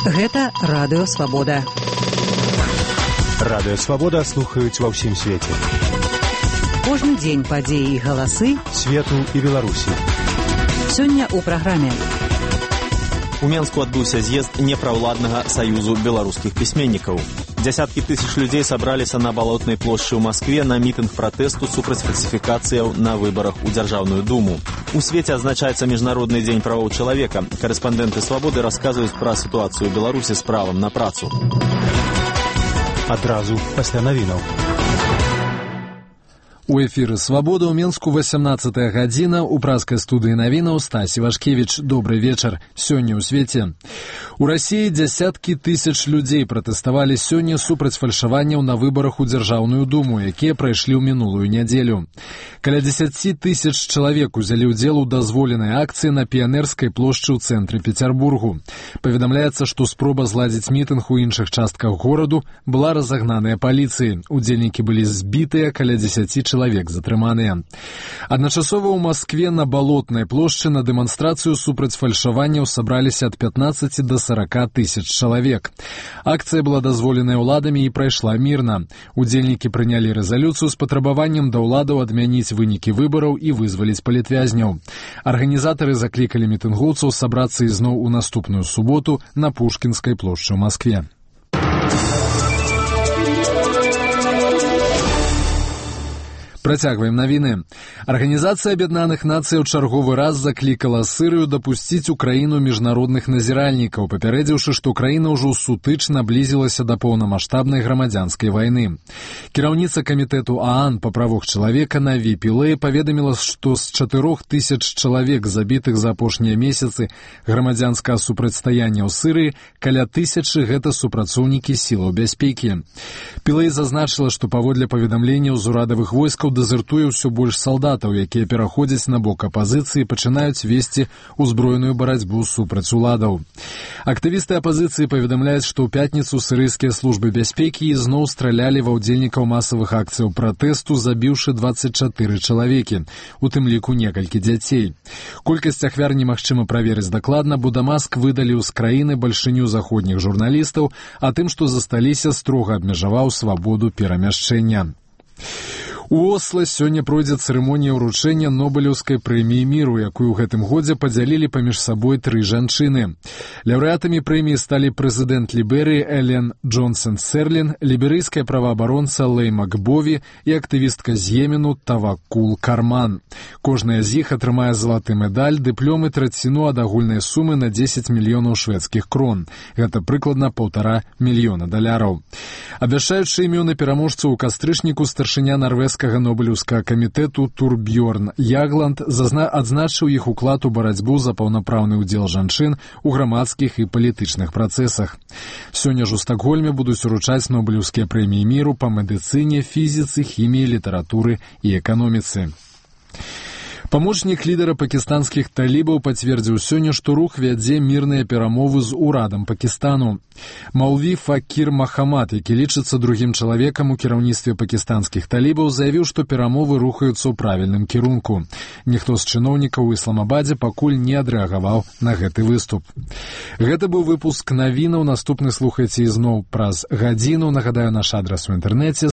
Гэта Радыё Свабода. Радыё Свабода слухаюць ва ўсім свеце. Кожны дзень падзеі і галасы свету і Беларусі. Сёння ў праграме. У Менску адбыўся з'езд непраўладнага саюзу беларускіх пісьменнікаў. Дзясяткі тысяч людзей сабраліся на Балотнай плошчы ў Маскве на мітынг пратэсту супраць фальсіфікацыяў на выбарах у Дзяржаўную думу. У свеце адзначаецца Міжнародны дзень правоў чалавека. Карэспандэнты Свабоды расказваюць пра сітуацыю ў Беларусі з правам на працу. Адразу пасля навінаў. У эфіры «Свабода» ў Менску 18 гадзіна. У праскай студыі навінаў Стась Івашкевіч. Добры вечар. Сёння ў свеце. У Расіі дзясяткі тысяч людзей пратэставалі сёння супраць фальшаванняў на выбарах у Дзяржаўную думу, якія прайшлі ў мінулую нядзелю. Каля 10 тысяч чалавек узялі ўдзел у дазволенай акцыі на Піянерскай плошчы ў цэнтры Пецярбургу. Паведамляецца, што спроба зладзіць мітынг у іншых частках гораду была разагнаная паліцыяй. Удзельнікі былі збітыя, каля 10 чалавек затрыманыя. Адначасова ў Маскве на Балотнай плошчы на дэманстрацыю супраць фальшаванняў сабраліся ад 15 до 40 тысяч чалавек. Акцыя была дазволеная ўладамі і прайшла мірна. Удзельнікі прынялі рэзалюцыю з патрабаваннем да ўладаў адмяніць вынікі выбараў і вызваліць палітвязняў. Арганізатары заклікалі мітынгоўцаў сабрацца ізноў у наступную суботу на Пушкінскай плошчы ў Маскве. Працягваем навіны. Арганізацыя Аб'яднаных Нацый ў чарговы раз заклікала Сырыю дапусціць у краіну міжнародных назіральнікаў, папярэдзіўшы, што краіна ўжо сутыч наблізілася да поўнамаштабнай грамадзянскай вайны. Кіраўніца камітэту ААН па правах чалавека Наві Пілэй паведаміла, што з 4000 чалавек, забітых за апошнія месяцы грамадзянскага супрацьстаяння ў Сырыі, каля 1000 гэта супрацоўнікі сілаў бяспекі. Пілэй зазначыла, што паводле паведамленняў з урадавых войскаў дэзертуе ўсё больш салдатаў, якія пераходзяць на бок апазіцыі і пачынаюць весці ўзброеную барацьбу супраць уладаў. Актывісты апазіцыі паведамляюць, што ў пятніцу сірыйскія службы бяспекі ізноў стралялі ва ўдзельнікаў масавых акцыяў пратэсту, забіўшы 24 чалавекі, у тым ліку некалькі дзяцей. Колькасць ахвяр немагчыма праверыць дакладна, бо Дамаск выдаліў з краіны бальшыню заходніх журналістаў, а тым, што засталіся, строга абмежаваў свабоду перамяшчэння. У Осла сёння пройдзе цырымонія ўручэння Нобелеўскай прэміі міру, якую ў гэтым годзе падзялілі паміж сабой 3 жанчыны. Лаўрэатамі прэміі сталі прэзідэнт Ліберыі Элен Джонсон Серлін, ліберыйская праваабаронца Лэй Макбові і актывістка з Йемену Тавакул Карман. Кожная з іх атрымае залаты медаль, дыплём і траціну ад агульнай сумы на 10 мільёнаў шведскіх крон. Гэта прыкладна $1,5 мільёна. Абвяшчаючы імёны пераможцаў у кастрычніку, старшыня нарвежскага Нобелеўскага камітэту Турбьёрн Ягланд адзначыў іх уклад у барацьбу за паўнапраўны ўдзел жанчын у грамадскіх і палітычных працэсах. Сёння ж у Стакгольме будуць уручаць Нобелеўскія прэміі міру па медыцыне, фізіцы, хіміі, літаратуры і эканоміцы. Памочнік лідара пакістанскіх талібаў пацвердзіў сёння, што рух вядзе мірныя перамовы з урадам Пакістану. Маўлві Факір Махамад, які лічыцца другім чалавекам у кіраўніцтве пакістанскіх талібаў, заявіў, што перамовы рухаюцца ў правільным кірунку. Ніхто з чыноўнікаў у Ісламабадзе пакуль не адрэагаваў на гэты выступ. Гэта быў выпуск навінаў. Наступны слухайце ізноў праз гадзіну. Нагадаю, наш адрас у інтэрнэце